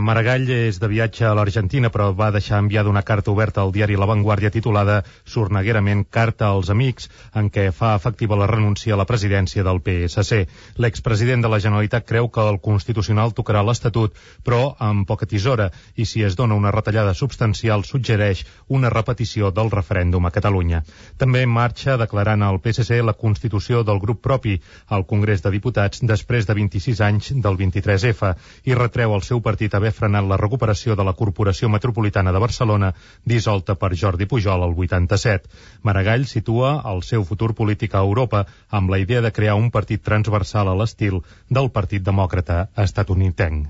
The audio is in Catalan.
Maragall és de viatge a l'Argentina, però va deixar enviada una carta oberta al diari La Vanguardia titulada sorneguerament Carta als amics, en què fa efectiva la renúncia a la presidència del PSC. L'expresident de la Generalitat creu que el Constitucional tocarà l'Estatut, però amb poca tisora, i si es dona una retallada substancial suggereix una repetició del referèndum a Catalunya. També en marxa declarant al PSC la constitució del grup propi al Congrés de Diputats després de 26 anys del 23F i retreu al seu partit haver frenat la recuperació de la Corporació Metropolitana de Barcelona, dissolta per Jordi Pujol el 87. Maragall situa el seu futur polític a Europa amb la idea de crear un partit transversal a l'estil del Partit Demòcrata estatunidenc.